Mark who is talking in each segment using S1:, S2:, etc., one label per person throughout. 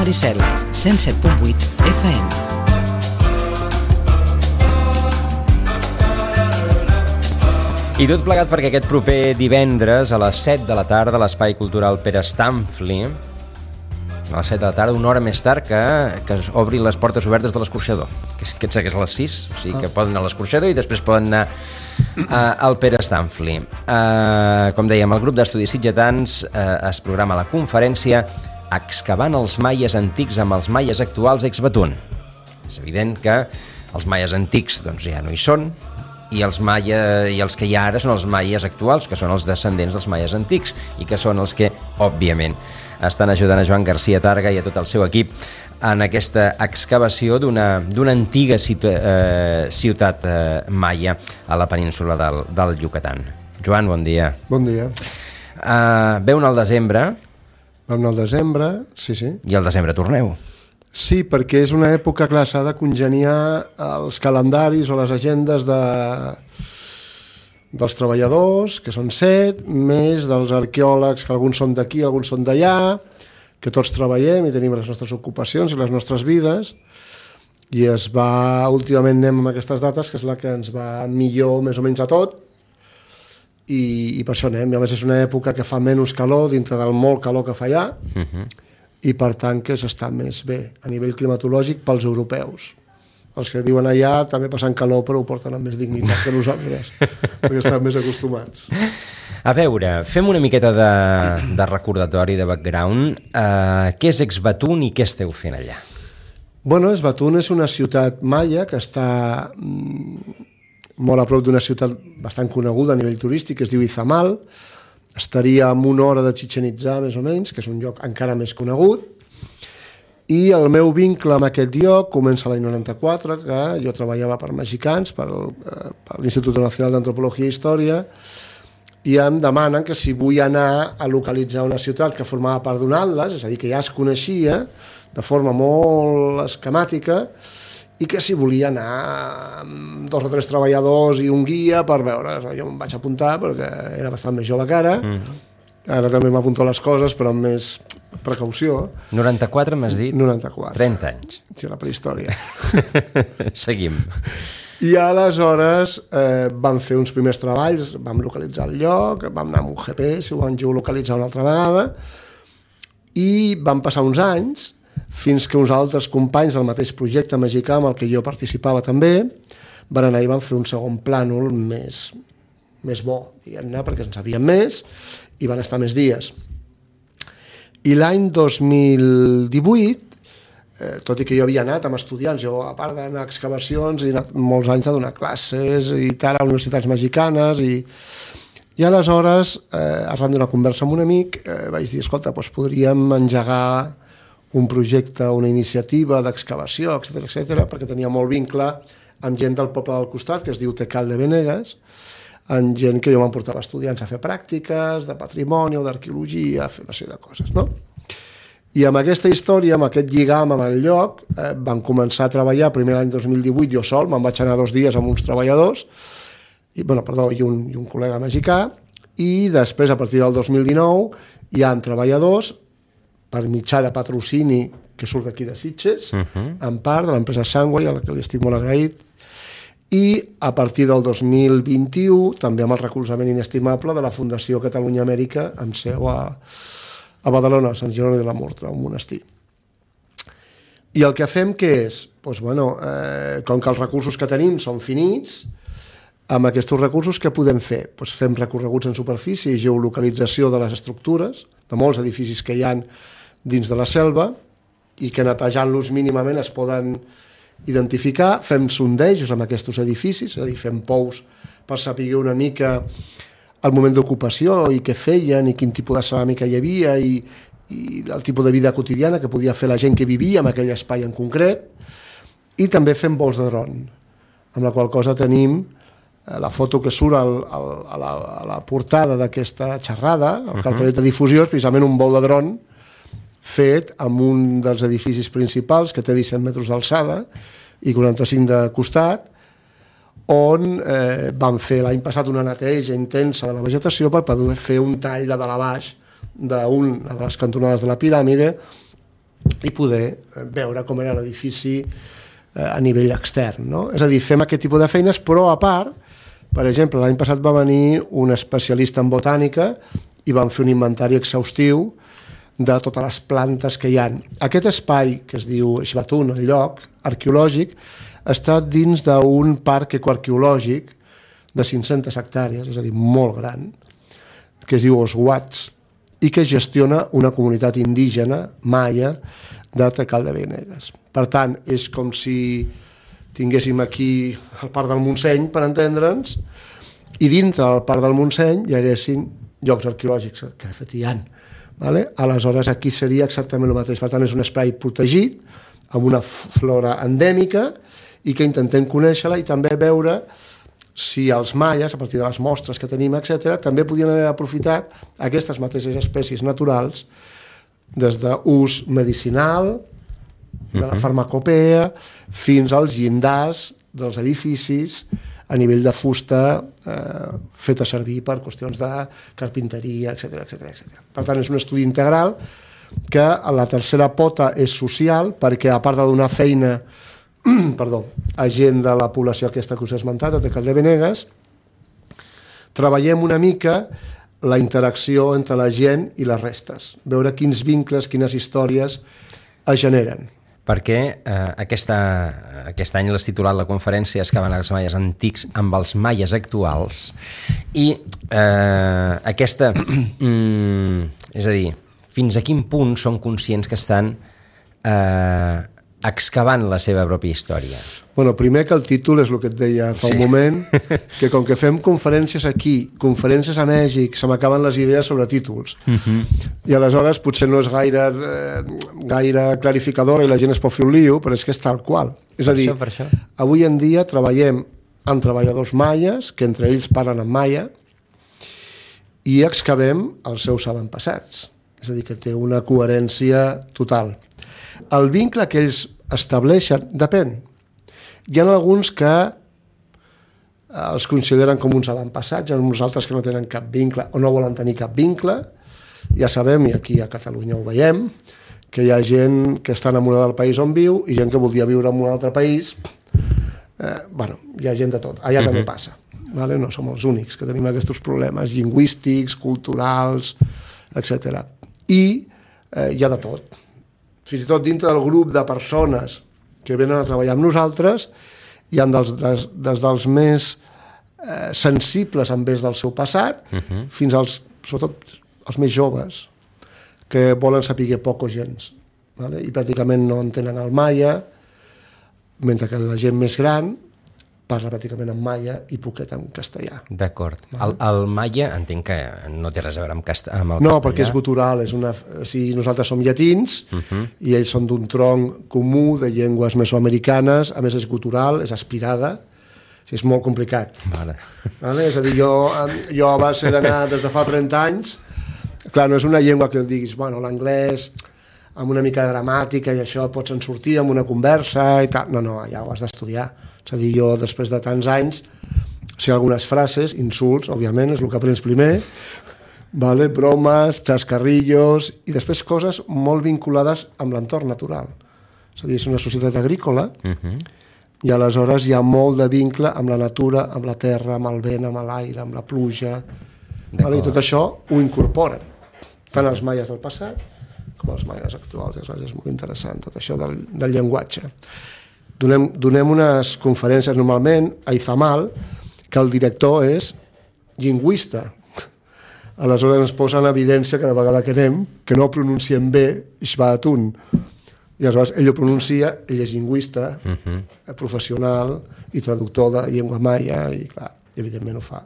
S1: Maricel, 107.8 FM.
S2: I tot plegat perquè aquest proper divendres a les 7 de la tarda a l'Espai Cultural Pere Stamfli, a les 7 de la tarda, una hora més tard que obrin les portes obertes de l'escorxador, que és a les 6, o sigui que poden anar a l'escorxador i després poden anar al Pere Stamfli. Com dèiem, el grup d'estudis sitgetans es programa la conferència Excavant els maies antics amb els maies actuals ex Batún. És evident que els maies antics doncs, ja no hi són, i els que hi ha ara són els maies actuals, que són els descendents dels maies antics i que són els que, òbviament, estan ajudant a Joan García Targa i a tot el seu equip en aquesta excavació d'una antiga ciutat maia a la península del Yucatán. Joan, bon dia.
S3: Bon dia.
S2: Veu al desembre.
S3: Vam anar al desembre, sí.
S2: I al desembre torneu.
S3: Sí, perquè és una època, clar, s'ha de congeniar els calendaris o les agendes dels treballadors, que són 7, més dels arqueòlegs, que alguns són d'aquí, alguns són d'allà, que tots treballem i tenim les nostres ocupacions i les nostres vides, i últimament anem amb aquestes dates, que és la que ens va millor més o menys a tot, i per això anem. I a més és una època que fa menys calor dintre del molt calor que fa allà, i per tant que s'està més bé a nivell climatològic pels europeus. Els que viuen allà també passen calor, però ho porten amb més dignitat que nosaltres, perquè estan més acostumats.
S2: A veure, fem una miqueta de recordatori, de background. Què és ex Batún i què esteu fent allà?
S3: Bueno, ex Batún és una ciutat maia que està molt a prop d'una ciutat bastant coneguda a nivell turístic, que es diu Izamal. Estaria a una hora de Chichén Itzá, més o menys, que és un lloc encara més conegut. I el meu vincle amb aquest lloc comença l'any 94, que jo treballava per mexicans, per l'Institut Nacional d'Antropologia i Història, i em demanen que si vull anar a localitzar una ciutat que formava part d'un atles, és a dir, que ja es coneixia de forma molt esquemàtica, i que si volia anar amb 2 o 3 treballadors i un guia per veure. Jo em vaig apuntar perquè era bastant més jove que ara. Ara també m'apunto les coses, però amb més precaució.
S2: 94 m'has dit?
S3: 94.
S2: 30 anys.
S3: Sí, la prehistòria.
S2: Seguim.
S3: I aleshores vam fer uns primers treballs, vam localitzar el lloc, vam anar amb un GPS, ho vam geolocalitzar una altra vegada, i van passar uns anys fins que uns altres companys del mateix projecte mexicà amb el que jo participava també van anar i van fer un segon plànol més bo, diguem-ne, perquè en sabíem més i van estar més dies. I l'any 2018, tot i que jo havia anat amb estudiants, jo a part d'anar a excavacions he anat molts anys a donar classes i tal a universitats mexicanes i aleshores, arran d'una conversa amb un amic, vaig dir, escolta, doncs podríem engegar un projecte, una iniciativa d'excavació, etc., perquè tenia molt vincle amb gent del poble del costat, que es diu Tecal de Venegas, amb gent que jo m'emportava estudiants a fer pràctiques de patrimoni o d'arqueologia, a fer una sèrie de coses, no? I amb aquesta història, amb aquest lligam amb el lloc, vam començar a treballar primer l'any 2018 jo sol, me'n vaig anar 2 dies amb uns treballadors, i un col·lega mexicà, i després, a partir del 2019, hi ha treballadors per mitjà de patrocini que surt d'aquí de Sitges, en part de l'empresa Sangway, a la que li estic molt agraït, i a partir del 2021 també amb el recolzament inestimable de la Fundació Catalunya Amèrica amb seu a Badalona, a Sant Jeroni de la Murtra, un monestir. I el que fem què és? Doncs, com que els recursos que tenim són finits, amb aquests recursos què podem fer? Doncs fem recorreguts en superfície i geolocalització de les estructures, de molts edificis que hi ha dins de la selva i que netejant-los mínimament es poden identificar, fem sondejos amb aquests edificis, és a dir, fem pous per saber una mica el moment d'ocupació i què feien i quin tipus de ceràmica hi havia i el tipus de vida quotidiana que podia fer la gent que vivia en aquell espai en concret, i també fem vols de dron, amb la qual cosa tenim la foto que surt a la portada d'aquesta xerrada, el cartellet de difusió, és precisament un vol de dron fet amb un dels edificis principals que té 17 metres d'alçada i 45 de costat, on van fer l'any passat una neteja intensa de la vegetació per poder fer un tall de dalt a baix d'una de les cantonades de la piràmide i poder veure com era l'edifici a nivell extern, no? És a dir, fem aquest tipus de feines, però a part, per exemple, l'any passat va venir un especialista en botànica i van fer un inventari exhaustiu de totes les plantes que hi ha. Aquest espai, que es diu Ixbatun, el lloc arqueològic, està dins d'un parc ecoarqueològic de 500 hectàrees, és a dir, molt gran, que es diu Oswats, i que gestiona una comunitat indígena maia de Tecaldebenegues. Per tant, és com si tinguéssim aquí el Parc del Montseny, per entendre'ns, i dintre del Parc del Montseny hi haguessin llocs arqueològics, que de fet hi ha. Vale? Aleshores, aquí seria exactament el mateix. Per tant, és un espai protegit, amb una flora endèmica, i que intentem conèixer-la i també veure si els maies, a partir de les mostres que tenim, etc., també podien haver aprofitat aquestes mateixes espècies naturals des d'ús medicinal, de la farmacopea, fins als llindars dels edificis a nivell de fusta feta servir per qüestions de carpinteria, etc. Per tant, és un estudi integral que a la tercera pota és social, perquè a part de donar feina a gent de la població aquesta que us he esmentat, de Tecaldebenegues, treballem una mica la interacció entre la gent i les restes, veure quins vincles, quines històries es generen.
S2: Perquè aquest any l'has titulat la conferència Excavant els maies antics amb els maies actuals, i aquesta, és a dir, fins a quin punt són conscients que estan excavant la seva pròpia història?
S3: Bueno, primer que el títol és el que et deia fa un moment, que com que fem conferències aquí, conferències a Mèxic, se m'acaben les idees sobre títols. I aleshores potser no és gaire clarificadora i la gent es pot fer un lío, però és que és tal qual. És a dir, avui en dia treballem amb treballadors maies, que entre ells parlen en maia, i excavem els seus avantpassats. És a dir, que té una coherència total. El vincle que ells estableixen depèn. Hi ha alguns que els consideren com uns avantpassats, hi ha uns altres que no tenen cap vincle o no volen tenir cap vincle. Ja sabem, i aquí a Catalunya ho veiem, que hi ha gent que està enamorada del país on viu i gent que voldria viure en un altre país. Hi ha gent de tot. Allà també passa. No som els únics que tenim aquests problemes lingüístics, culturals, etc. I hi ha de tot. Fins i tot dintre del grup de persones que venen a treballar amb nosaltres, hi ha des dels més sensibles envers del seu passat, fins als, sobretot, els més joves, que volen saber poc o gens, i pràcticament no entenen el maia, mentre que la gent més gran parla pràcticament en maia i poquet en castellà.
S2: D'acord. El maia entenc que no té res a veure amb el castellà.
S3: No, perquè és gutural. Nosaltres som llatins i ells són d'un tronc comú de llengües mesoamericanes, a més és gutural, és aspirada, és molt complicat. És a dir, jo a base d'anar des de fa 30 anys, clar, no és una llengua que diguis, l'anglès amb una mica de gramàtica i això pots en sortir amb una conversa i tal. No, ja ho has d'estudiar. És a dir, jo després de tants anys sé algunes frases, insults, òbviament, és el que aprens primer, bromes, xascarrillos, i després coses molt vinculades amb l'entorn natural. És a dir, és una societat agrícola i aleshores hi ha molt de vincle amb la natura, amb la terra, amb el vent, amb l'aire, amb la pluja, i tot això ho incorporen, tant els maies del passat com els maies actuals. És molt interessant tot això del llenguatge. Donem unes conferències normalment a Izamal, que el director és lingüista. Aleshores ens posa en evidència cada vegada que anem que no pronunciem bé Ixbatun. I aleshores ell ho pronuncia, ell és lingüista, professional i traductor de llengua maia, i clar, evidentment ho fa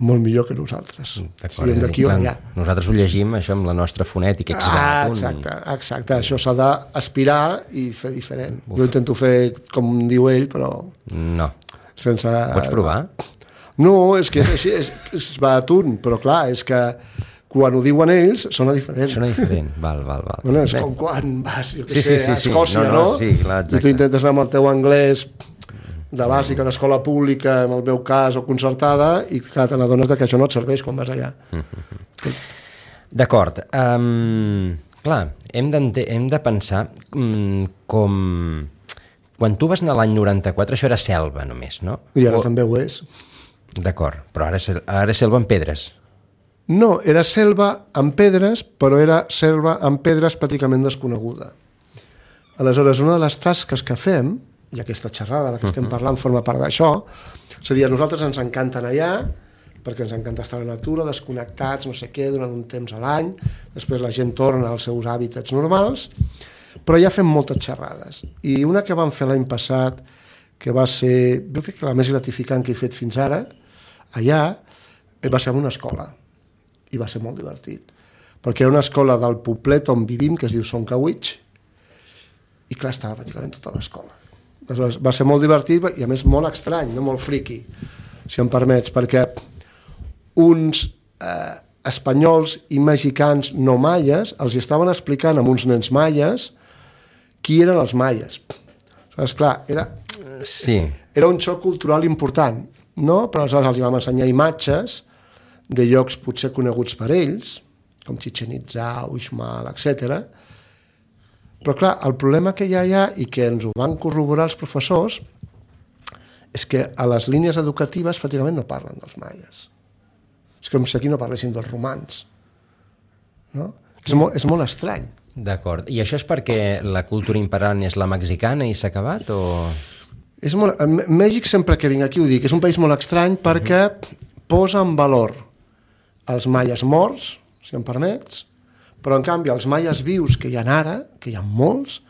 S3: molt millor que nosaltres. Siguem d'aquí o d'allà.
S2: Nosaltres ho llegim, això, amb la nostra fonètica.
S3: Exacte. Això s'ha d'aspirar i fer diferent. Jo intento fer com diu ell, però...
S2: No. Pots provar?
S3: No, és que és així, és Ixbatun, però clar, és que quan ho diuen ells sona diferent.
S2: Sona diferent, val.
S3: És com quan vas, jo què sé, a Escòcia, no? I tu intentes anar amb el teu anglès de bàsica, d'escola pública, en el meu cas, o concertada, i clar, te n'adones que això no et serveix quan vas allà.
S2: D'acord. Clar, hem de pensar com... Quan tu vas anar l'any 94, això era selva només, no?
S3: I ara també ho és.
S2: D'acord, però ara és selva amb pedres.
S3: No, era selva amb pedres, però era selva amb pedres pràcticament desconeguda. Aleshores, una de les tasques que fem, i aquesta xerrada de la que estem parlant forma part d'això, és a dir, a nosaltres ens encanta anar allà, perquè ens encanta estar a la natura, desconnectats, no sé què, durant un temps a l'any, després la gent torna als seus hàbitats normals, però ja fem moltes xerrades. I una que vam fer l'any passat, que va ser, jo crec que la més gratificant que he fet fins ara, allà, va ser en una escola, i va ser molt divertit, perquè era una escola del poblet on vivim, que es diu Soncawitx, i clar, estava pràcticament tota l'escola. Aleshores, va ser molt divertit i a més molt estrany, no molt friqui, si em permets, perquè uns espanyols i mexicans no maies els estaven explicant amb uns nens maies qui eren els maies. Aleshores, clar, era un xoc cultural important, no? Però aleshores els vam ensenyar imatges de llocs potser coneguts per ells, com Chichén Itzá, Uxmal, etc. Però clar, el problema que hi ha allà, i que ens ho van corroborar els professors, és que a les línies educatives pràcticament no parlen dels maies. És com si aquí no parlessin dels romans. No? És molt estrany.
S2: D'acord. I això és perquè la cultura imperant és la mexicana i s'ha acabat, o...?
S3: Mèxic, sempre que vinc aquí ho dic, és un país molt estrany perquè posa en valor els maies morts, si em permets, però en canvi els maies vius que hi ha ara, que hi ha molts,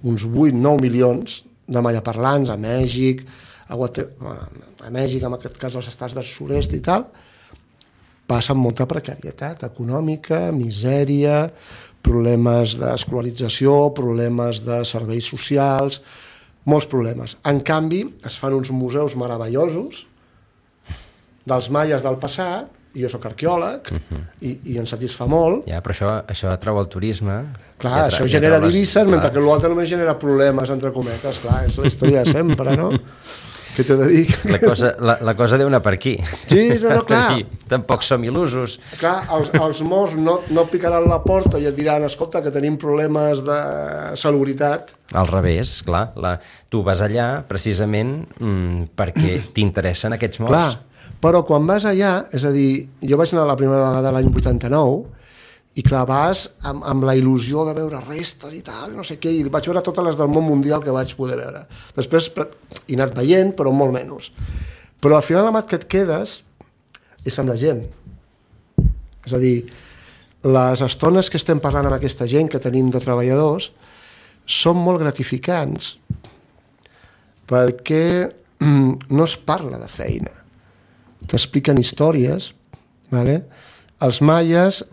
S3: uns 8-9 milions de maiaparlants a Mèxic, a Mèxic, en aquest cas als estats del sud-est i tal, passen molta precarietat econòmica, misèria, problemes d'escolarització, problemes de serveis socials, molts problemes. En canvi, es fan uns museus meravellosos dels maies del passat, i jo soc arqueòleg, i em satisfà molt.
S2: Ja, però això atrau el turisme.
S3: Clar, això genera divises, mentre que l'altre només genera problemes, entre cometes. Clar, és la història de sempre, no? Què t'he de dir?
S2: La cosa deu anar per aquí.
S3: Sí, no, clar.
S2: Tampoc som il·lusos.
S3: Clar, els morts no picaran la porta i et diran, escolta, que tenim problemes de salubritat.
S2: Al revés, clar. Tu vas allà precisament perquè t'interessen aquests morts.
S3: Clar, però quan vas allà, és a dir, jo vaig anar la primera vegada l'any 89, i clar, vas amb la il·lusió de veure restes i tal, no sé què, i vaig veure totes les del món mundial que vaig poder veure. Després he anat veient, però molt menys. Però al final el que et quedes és amb la gent. És a dir, les estones que estem parlant amb aquesta gent que tenim de treballadors són molt gratificants perquè no es parla de feina. T'expliquen històries, ¿vale? Els maies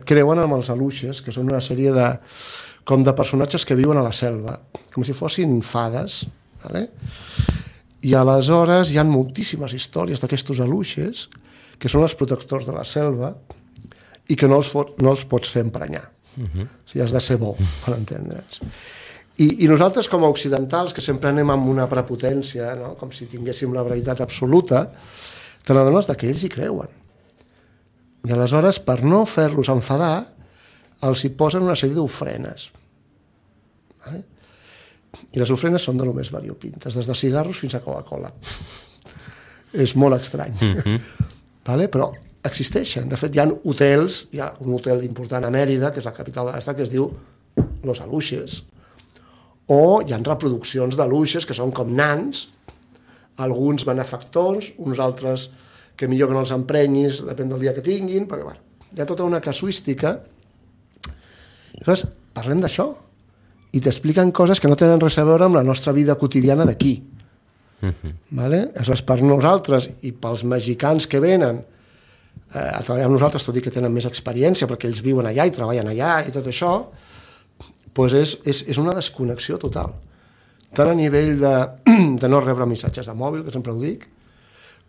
S3: creuen amb els aluixes, que són una sèrie de personatges que viuen a la selva, com si fossin fades, ¿vale? I aleshores hi ha moltíssimes històries d'aquestos aluixes, que són els protectors de la selva, i que no els pots fer emprenyar. O sigui, has de ser bo, per entendre'ns. I nosaltres, com a occidentals, que sempre anem amb una prepotència, no? Com si tinguéssim la veritat absoluta, te n'adones que ells hi creuen. I aleshores, per no fer-los enfadar, els hi posen una sèrie d'ofrenes. Vale? I les ofrenes són de lo més variopintes, des de cigarros fins a Coca-Cola. És molt estrany. Vale? Però existeixen. De fet, hi ha hotels, hi ha un hotel important a Mèrida, que és la capital de l'estat, que es diu Los Aluixes. O hi ha reproduccions d'aluixes que són com nans, alguns benefactors, uns altres que millor que no els emprenyis, depèn del dia que tinguin, perquè bueno, hi ha tota una casuística. Aleshores, parlem d'això, i t'expliquen coses que no tenen res a veure amb la nostra vida quotidiana d'aquí. Vale? Aleshores, per nosaltres i pels mexicans que venen a treballar amb nosaltres, tot i que tenen més experiència, perquè ells viuen allà i treballen allà i tot això, doncs és una desconnexió total. Tant a nivell de no rebre missatges de mòbil, que sempre ho dic,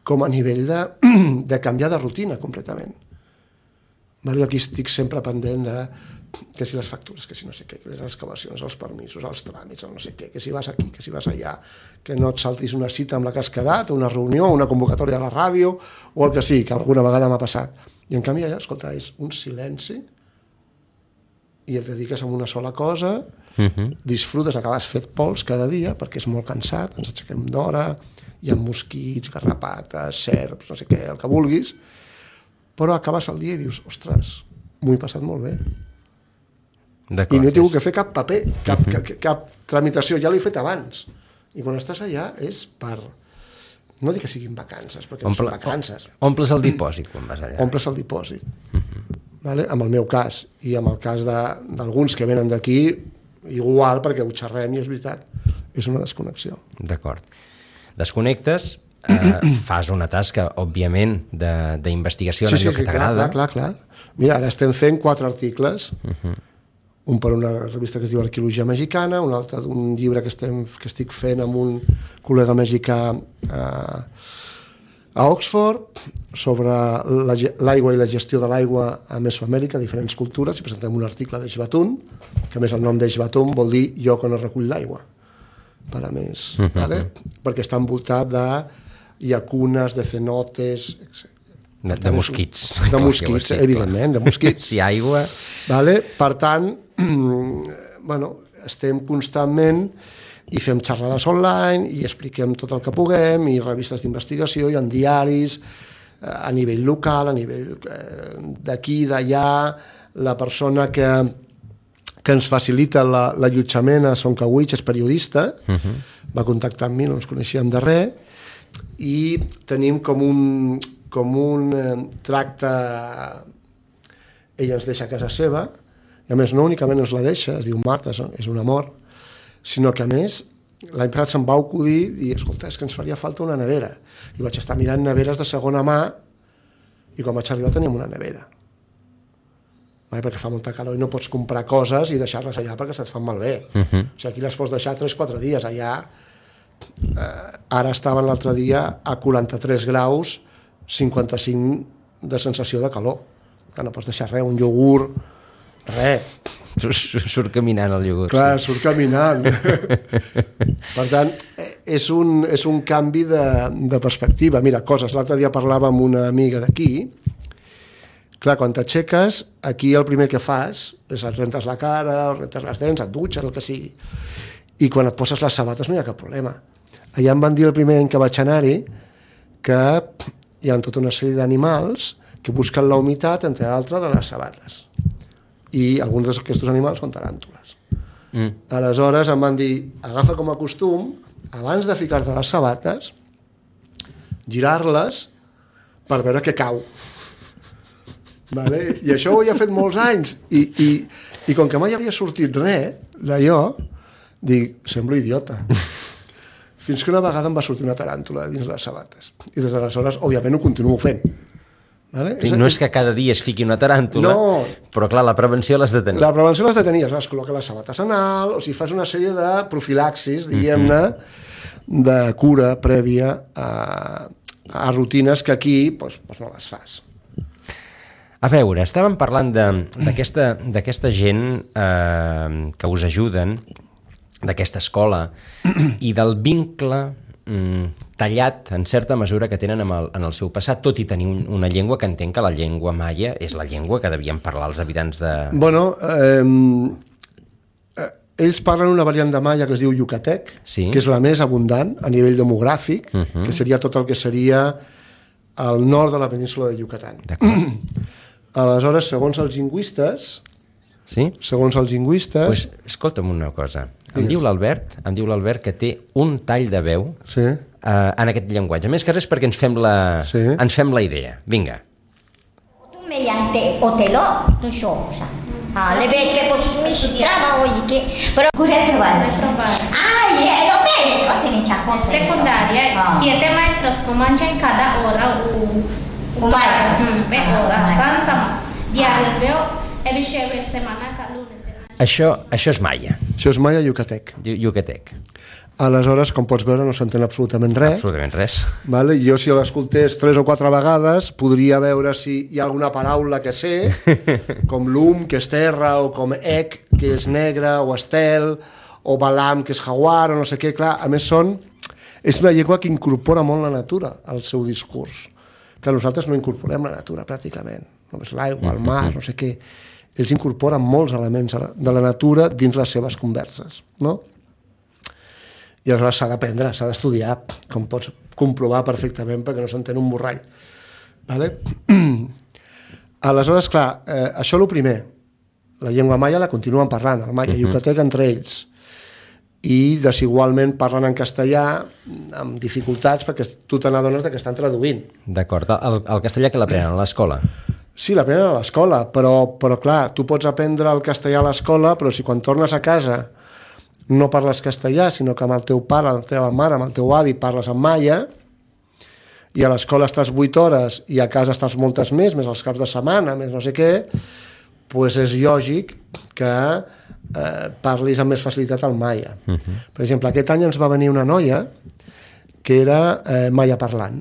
S3: com a nivell de canviar de rutina completament. Jo aquí estic sempre pendent de que si les factures, que si no sé què, que les excavacions, els permisos, els tràmits, el no sé què, que si vas aquí, que si vas allà, que no et saltis una cita amb la que has quedat, una reunió, una convocatòria de la ràdio, o el que sigui, que alguna vegada m'ha passat. I en canvi allà, escolta, és un silenci i et dediques a una sola cosa, disfrutes, acabes fet pols cada dia, perquè és molt cansat, ens aixequem d'hora, hi ha mosquits, garrapates, serps, no sé què, el que vulguis, però acabes el dia i dius, ostres, m'ho he passat molt bé. I no he tingut que fer cap paper, cap tramitació, ja l'he fet abans. I quan estàs allà és per... No dic que siguin vacances, perquè no són vacances.
S2: Omples el dipòsit quan vas allà.
S3: Omples el dipòsit. Vale? En el meu cas, i en el cas d'alguns que venen d'aquí, igual, perquè ho xerrem i és veritat, és una desconnexió.
S2: D'acord. Desconnectes, fas una tasca, òbviament, d'investigació en allò que t'agrada.
S3: Clar. Mira, ara estem fent 4 articles, un per una revista que es diu Arqueologia Mexicana, un altre d'un llibre que estic fent amb un col·lega mexicà a Oxford, sobre l'aigua i la gestió de l'aigua a Mesoamèrica, diferents cultures, i presentem un article d'Eixbatún, que a més el nom d'Eixbatún vol dir lloc on es recull l'aigua, per a més, vale? Perquè està envoltat de llacunes, de cenotes, etc.
S2: De mosquits.
S3: De mosquits, evidentment, de mosquits.
S2: Si aigua...
S3: Vale? Per tant, estem constantment i fem xerrades online i expliquem tot el que puguem i revistes d'investigació i en diaris a nivell local, a nivell d'aquí, d'allà. La persona que ens facilita l'allotjament a Soncawich és periodista, va contactar amb mi, no ens coneixíem de res, i tenim com un tracte, ella ens deixa a casa seva, i a més no únicament ens la deixa, es diu Marta, és un amor, sinó que a més l'any passat se'm va acudir i escolta, és que ens faria falta una nevera, i vaig estar mirant neveres de segona mà i quan vaig arribar teníem una nevera, perquè fa molta calor i no pots comprar coses i deixar-les allà perquè se't fan malbé. O sigui, aquí les pots deixar 3-4 dies, allà ara estaven l'altre dia a 43 graus 55 de sensació de calor, que no pots deixar res, un iogurt, res.
S2: Surt caminant el iogurt.
S3: Clar, surt caminant. Per tant, és un canvi de perspectiva. Mira, coses, l'altre dia parlava amb una amiga d'aquí. Clar, quan t'aixeques, aquí el primer que fas és et rentes la cara, et rentes les dents, et dutxes, el que sigui. I quan et poses les sabates no hi ha cap problema. Allà em van dir el primer any que vaig anar-hi que hi ha tota una sèrie d'animals que busquen la humitat, entre altres, de les sabates. I alguns d'aquests animals són taràntules. Aleshores em van dir, agafa com a costum, abans de ficar-te les sabates, girar-les per veure què cau. Vale? I això ho havia fet molts anys. I com que mai havia sortit res d'allò, dic, semblo idiota. Fins que una vegada em va sortir una taràntula dins les sabates. I des d'aleshores, òbviament, ho continuo fent. Vale?
S2: No és que cada dia es fiqui una taràntula, però clar, la prevenció l'has de tenir.
S3: La prevenció l'has de tenir, es col·loca les sabates en alt, o sigui, fas una sèrie de profilaxis, diguem-ne, de cura prèvia a rutines que aquí doncs no les fas.
S2: A veure, estàvem parlant d'aquesta gent que us ajuden, d'aquesta escola, i del vincle tallat en certa mesura que tenen en el seu passat, tot i tenir una llengua que entenc que la llengua maia és la llengua que devien parlar els habitants de...
S3: Bueno, ells parlen una variant de maia que es diu yucatec, que és la més abundant a nivell demogràfic, que seria tot el que seria al nord de la península de Yucatán. Aleshores, segons els lingüistes...
S2: Sí?
S3: Segons els lingüistes...
S2: Pues, escolta'm una cosa. Em diu l'Albert que té un tall de veu en aquest llenguatge. Més que res perquè ens fem la idea. Vinga.
S4: Mediante hoteló, tu cosa. Le vecchie mi si trama oggi però pure trovare. Lo bene, o se ne c'ha cosa.
S5: Secundaria, 7 maestros comanche en cada hora ora, tanta diaris veo e riceve setmana cada lunes.
S2: Això és maia.
S3: Això és maia yucatec.
S2: Yucatec.
S3: Aleshores, com pots veure, no s'entén absolutament res.
S2: Absolutament res.
S3: Vale? Jo, si l'escoltés 3 o 4 vegades, podria veure si hi ha alguna paraula que sé, com lum, que és terra, o com ec, que és negre, o estel, o balam, que és jaguar, o no sé què. Clar, a més, és una llengua que incorpora molt la natura al seu discurs. Clar, nosaltres no incorporem la natura, pràcticament. Només l'aigua, el mar, no sé què. ells incorporen molts elements de la natura dins les seves converses, no? I aleshores s'ha d'aprendre, s'ha d'estudiar, com pots comprovar perfectament perquè no s'entén un borrall. Vale? Aleshores, clar, això és el primer. La llengua maia la continuen parlant, el maia yucatec entre ells. I desigualment parlen en castellà amb dificultats perquè tu te n'adones que estan traduint.
S2: D'acord. El castellà que l'aprenen a l'escola?
S3: Sí, l'aprenen a l'escola, però clar, tu pots aprendre el castellà a l'escola, però si quan tornes a casa no parles castellà, sinó que amb el teu pare, la teva mare, amb el teu avi parles en maia, i a l'escola estàs 8 hores i a casa estàs moltes més els caps de setmana, més no sé què, doncs és lògic que parlis amb més facilitat el maia. Per exemple, aquest any ens va venir una noia que era maia parlant.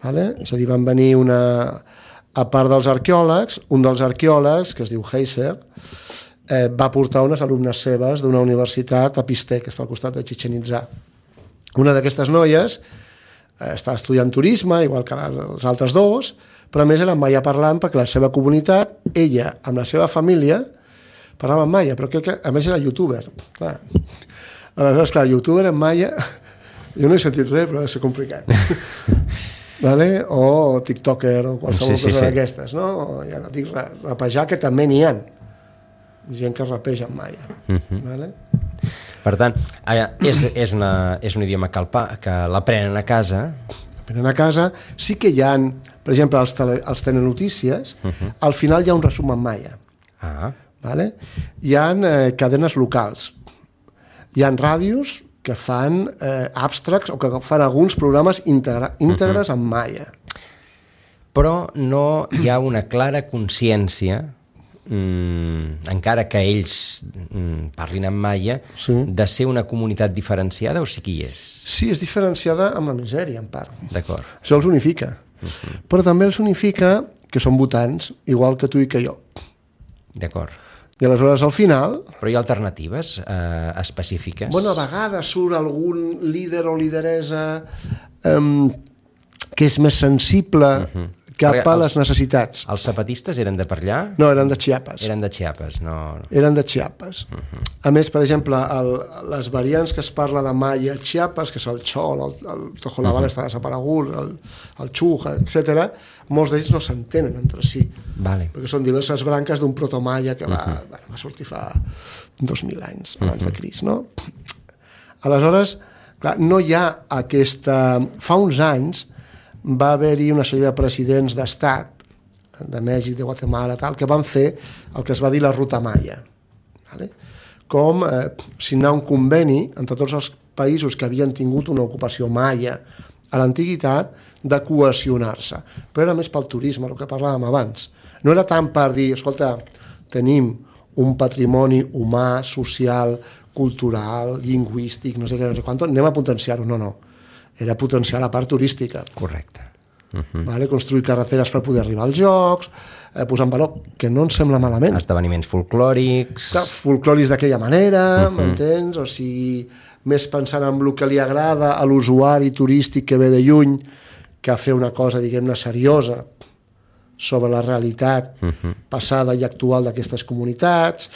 S3: Vale? És a dir, van venir a part dels arqueòlegs, un dels arqueòlegs, que es diu Heiser, va portar unes alumnes seves d'una universitat a Pistè, que està al costat de Chichén Itzá. Una d'aquestes noies estava estudiant turisme, igual que els altres dos, però a més era maia parlant perquè la seva comunitat, ella amb la seva família, parlava en maia, però crec que a més era youtuber. Clar. Aleshores, clar, youtuber en maia, jo no he sentit res, però ha de ser complicat. Vale? O tiktoker o qualsevol cosa d'aquestes, no? Ja no dic rapejar, que també n'hi ha gent que rapeja en maia. Vale?
S2: Per tant, és un idioma que l'aprenen a casa.
S3: L'aprenen a casa. Sí que hi ha, per exemple, els telenotícies, al final hi ha un resum en maia. Vale? Hi ha cadenes locals. Hi ha ràdios que fan abstracts o que fan alguns programes íntegres en maia.
S2: Però no hi ha una clara consciència, encara que ells parlin en maia, de ser una comunitat diferenciada, o sí que hi és?
S3: Sí, és diferenciada amb la misèria, en part.
S2: D'acord.
S3: Això els unifica. Però també els unifica que són votants, igual que tu i que jo.
S2: D'acord.
S3: I aleshores, al final...
S2: Però hi ha alternatives específiques?
S3: Bueno, a vegades surt algun líder o lideresa que és més sensible cap a les necessitats.
S2: Els zapatistes eren de per allà?
S3: No, eren de Chiapas.
S2: Eren de Chiapas, no...
S3: Eren de Chiapas. A més, per exemple, les variants que es parla de maia a Chiapas, que és el Chol, el Tojolabal està desaparegut, el Chuja, etc., molts d'ells no s'entenen entre si.
S2: Vale. Perquè
S3: són diverses branques d'un protomaia que va sortir fa 2.000 anys abans de Crist, no? Aleshores, clar, no hi ha aquesta... Fa uns anys va haver-hi una sèrie de presidents d'estat, de Mèxic, de Guatemala, tal, que van fer el que es va dir la ruta maia. Vale? Com signar un conveni entre tots els països que havien tingut una ocupació maia a l'antiguitat de cohesionar-se. Però era més pel turisme, el que parlàvem abans. No era tant per dir, escolta, tenim un patrimoni humà, social, cultural, lingüístic, no sé què, no sé quant, anem a potenciar-ho, no. Era potenciar la part turística.
S2: Correcte.
S3: Vale? Construir carreteres per poder arribar als jocs, posar en valor, que no ens sembla malament.
S2: Esdeveniments folclòrics...
S3: Clar, folclòrics d'aquella manera, m'entens? O sigui, més pensant en el que li agrada a l'usuari turístic que ve de lluny, que a fer una cosa, diguem-ne, seriosa sobre la realitat passada i actual d'aquestes comunitats.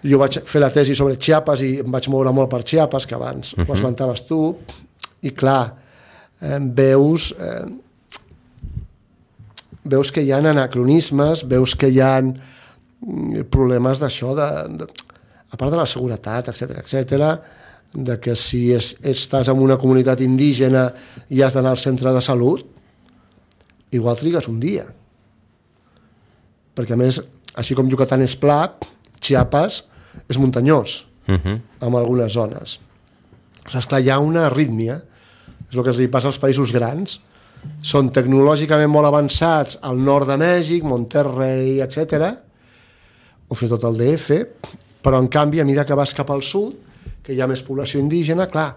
S3: Jo vaig fer la tesi sobre Chiapas i em vaig moure molt per Chiapas, que abans ho esmentaves tu, i clar, veus que hi ha anacronismes, veus que hi ha problemes d'això, a part de la seguretat, etc, de que si estàs en una comunitat indígena i has d'anar al centre de salut, igual trigues un dia. Perquè a més, així com Yucatán és pla, Chiapas és muntanyós en algunes zones. Esclar, hi ha una arrítmia, és el que li passa als països grans. Són tecnològicament molt avançats al nord de Mèxic, Monterrey, etc, o fins i tot el DF, però en canvi, a mesura que vas cap al sud, que hi ha més població indígena, clar,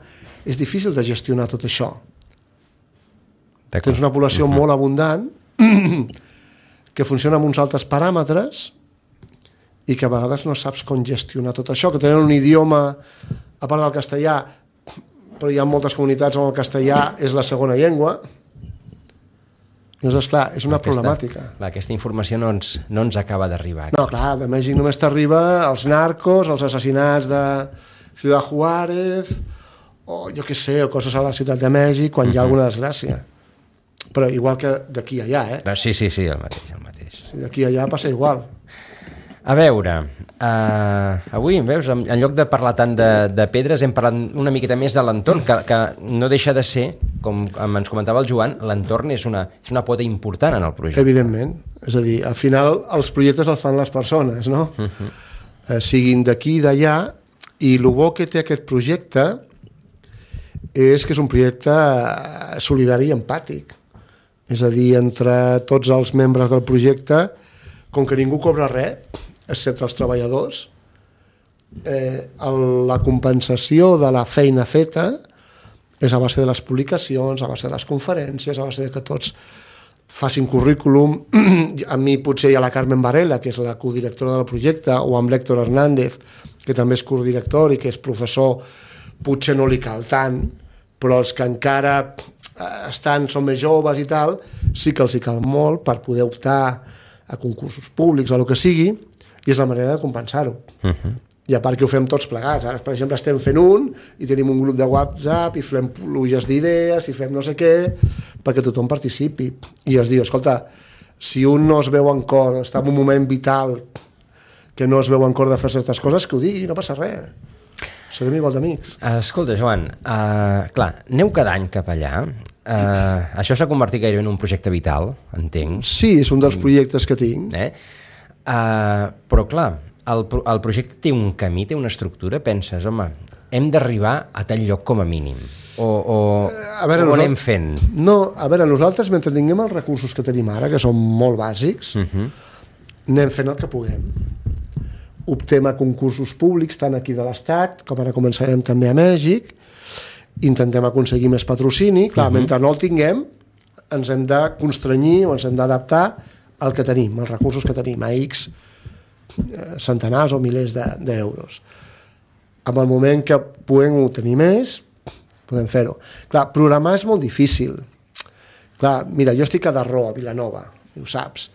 S3: és difícil de gestionar tot això. Tens una població molt abundant que funciona amb uns altres paràmetres i que a vegades no saps com gestionar tot això, que tenen un idioma, a part del castellà, però hi ha moltes comunitats on el castellà és la segona llengua, Llavors, clar, és una problemàtica.
S2: Clar, aquesta informació no ens acaba d'arribar.
S3: No, clar, de Mèxic només t'arriba els narcos, els assassinats de Ciudad Juárez, o jo què sé, o coses a la ciutat de Mèxic, quan hi ha alguna desgràcia. Però igual que d'aquí a allà,
S2: Sí, el mateix.
S3: D'aquí a allà passa igual.
S2: A veure, avui, veus, en lloc de parlar tant de pedres, hem parlat una miqueta més de l'entorn, que no deixa de ser, com ens comentava el Joan, l'entorn és una pota important en el projecte.
S3: Evidentment. És a dir, al final els projectes els fan les persones, no? Siguin d'aquí i d'allà, i el bo que té aquest projecte és que és un projecte solidari i empàtic. És a dir, entre tots els membres del projecte, com que ningú cobra res, excepte els treballadors, la compensació de la feina feta és a base de les publicacions, a base de les conferències, a base de que tots facin currículum. A mi potser hi ha la Carmen Varela, que és la codirectora del projecte, o amb l'Héctor Hernández, que també és codirector i que és professor, potser no li cal tant, però els que encara són més joves i tal, sí que els hi cal molt per poder optar a concursos públics o el que sigui, i és la manera de compensar-ho. I a part que ho fem tots plegats. Ara, per exemple, estem fent i tenim un grup de WhatsApp i fem pluges d'idees i fem no sé què, perquè tothom participi. I es diu, escolta, si un no es veu en cor, està en un moment vital que no es veu en cor de fer certes coses, que ho digui, no passa res. Serem igual d'amics.
S2: Escolta, Joan, clar, aneu cada any cap allà. Això s'ha convertit gairebé en un projecte vital, entenc.
S3: Sí, és un dels projectes que tinc.
S2: Però clar, el projecte té un camí, té una estructura, penses, home, hem d'arribar a tal lloc com a mínim, o anem fent?
S3: No, a veure, nosaltres, mentre tinguem els recursos que tenim ara, que són molt bàsics, anem fent el que puguem. Optem a concursos públics, tant aquí de l'Estat, com ara començarem també a Mèxic, intentem aconseguir més patrocini. Clar, mentre no el tinguem, ens hem de constranyir o ens hem d'adaptar al que tenim, als recursos que tenim, a X centenars o milers d'euros. En el moment que puguem obtenir més, podem fer-ho. Clar, programar és molt difícil. Clar, mira, jo estic a Darró, a Vilanova, ho saps.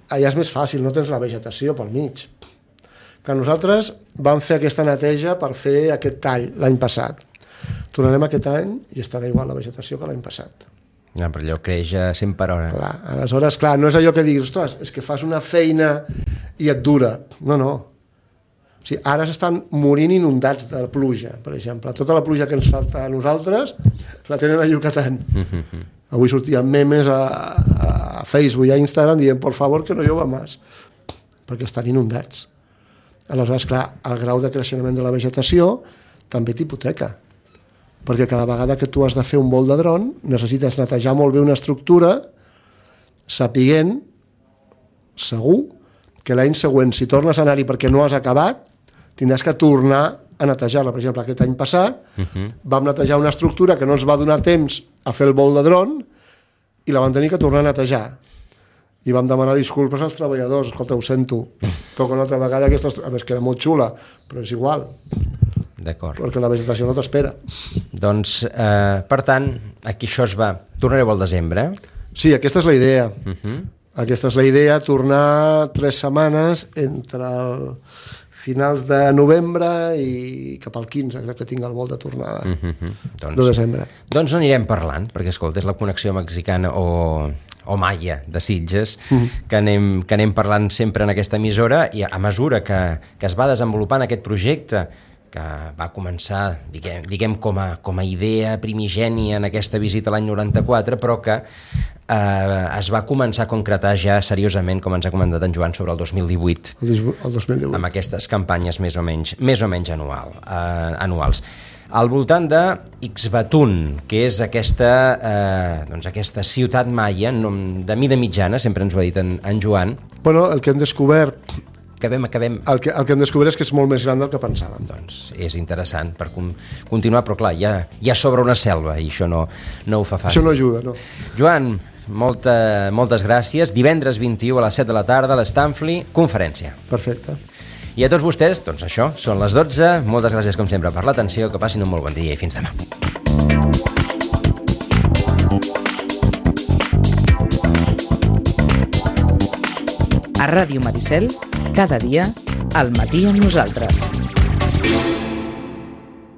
S3: Allà és més fàcil, no tens la vegetació pel mig. Clar, nosaltres vam fer aquesta neteja per fer aquest tall l'any passat. Tornarem aquest any i estarà igual la vegetació que l'any passat.
S2: Però allò creix a 100 per hora.
S3: Clar, aleshores, clar, no és allò que diguis, ostres, és que fas una feina i et dura. No. O sigui, ara s'estan morint inundats de pluja, per exemple. Tota la pluja que ens falta a nosaltres la tenen a Yucatán. Avui sortien memes a Facebook i a Instagram dient, por favor, que no llova més, perquè estan inundats. Aleshores, clar, el grau de creixement de la vegetació també t'hipoteca, perquè cada vegada que tu has de fer un vol de dron necessites netejar molt bé una estructura sapiguent segur que l'any següent, si tornes a anar-hi perquè no has acabat, tindràs que tornar a netejar-la. Per exemple, aquest any passat vam netejar una estructura que no ens va donar temps a fer el vol de dron i la vam tenir que tornar a netejar. I vam demanar disculpes als treballadors. Escolta, ho sento, toca una altra vegada aquesta estructura. A més, que era molt xula, però és igual.
S2: D'acord.
S3: Perquè la vegetació no t'espera.
S2: Doncs, per tant, aquí això es va... Tornareu al desembre?
S3: Sí, aquesta és la idea. Aquesta és la idea, tornar 3 setmanes entre finals de novembre i cap al 15, crec que tinc el vol de tornada de desembre.
S2: Doncs anirem parlant, perquè, escolta, és la connexió mexicana o maia de Sitges, que anem parlant sempre en aquesta emissora, i a mesura que es va desenvolupant aquest projecte, que va començar, diguem com a idea primigènia en aquesta visita l'any 94, però que es va començar a concretar ja seriosament, com ens ha comentat en Joan, sobre el 2018.
S3: El 2018.
S2: Amb aquestes campanyes més o menys anuals. Al voltant de Ixbatún, que és aquesta ciutat maia de mida mitjana, sempre ens ho ha dit en Joan.
S3: Bueno, el que hem descobert...
S2: Acabem.
S3: El que hem descobert és que és molt més gran del que pensàvem.
S2: Doncs és interessant per continuar, però clar, hi ha sobre una selva i això no ho fa fàcil.
S3: Això no ajuda, no.
S2: Joan, moltes gràcies. Divendres 21 a les 7 de la tarda a l'Stanfli, conferència.
S3: Perfecte.
S2: I a tots vostès, doncs això, són les 12. Moltes gràcies, com sempre, per l'atenció, que passin un molt bon dia i fins demà.
S1: A Ràdio Maricel, cada dia, al matí amb nosaltres.